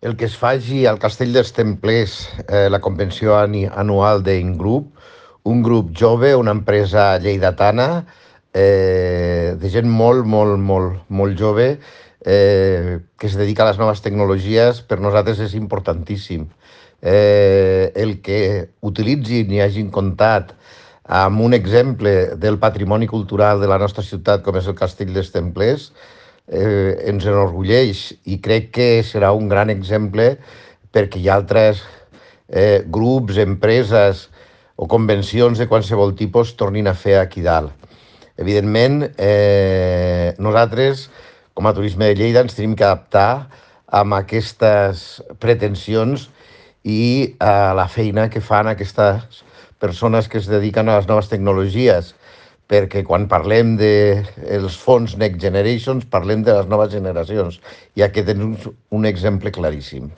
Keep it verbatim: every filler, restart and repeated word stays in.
El que es faci al Castell dels Templers, eh, la convenció ani- anual d'Ingroup, un grup jove, una empresa lleidatana, eh, de gent molt, molt, molt, molt jove, eh, que es dedica a les noves tecnologies, per nosaltres és importantíssim. Eh, el que utilitzin i hagin comptat amb un exemple del patrimoni cultural de la nostra ciutat, com és el Castell dels Templers, eh, ens enorgulleix i crec que serà un gran exemple perquè hi ha altres eh, grups, empreses o convencions de qualsevol tipus tornin a fer aquí dalt. Evidentment, eh, nosaltres, com a Turisme de Lleida, ens tenim que adaptar amb aquestes pretensions i a la feina que fan aquestes persones que es dediquen a les noves tecnologies, perquè quan parlem dels fons Next Generations parlem de les noves generacions i aquest és un, un exemple claríssim.